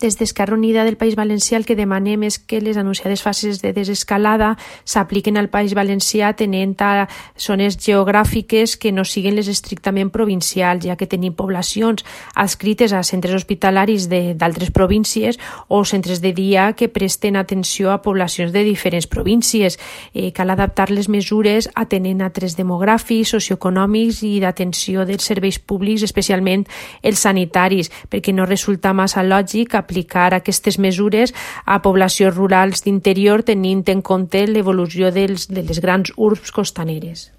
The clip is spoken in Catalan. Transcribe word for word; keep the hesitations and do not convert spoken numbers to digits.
Des d'Esquerra Unida del País Valencià el que demanem és que les anunciades fases de desescalada s'apliquen al País Valencià tenint a zones geogràfiques que no siguin les estrictament provincials, ja que tenim poblacions adscrites a centres hospitalaris d'altres províncies o centres de dia que presten atenció a poblacions de diferents províncies. Eh, cal adaptar les mesures atenent a trets demogràfics, socioeconòmics i d'atenció dels serveis públics, especialment els sanitaris, perquè no resulta massa lògic aplicar aquestes mesures a poblacions rurals d'interior tenint en compte l'evolució dels, de les grans urbs costaneres.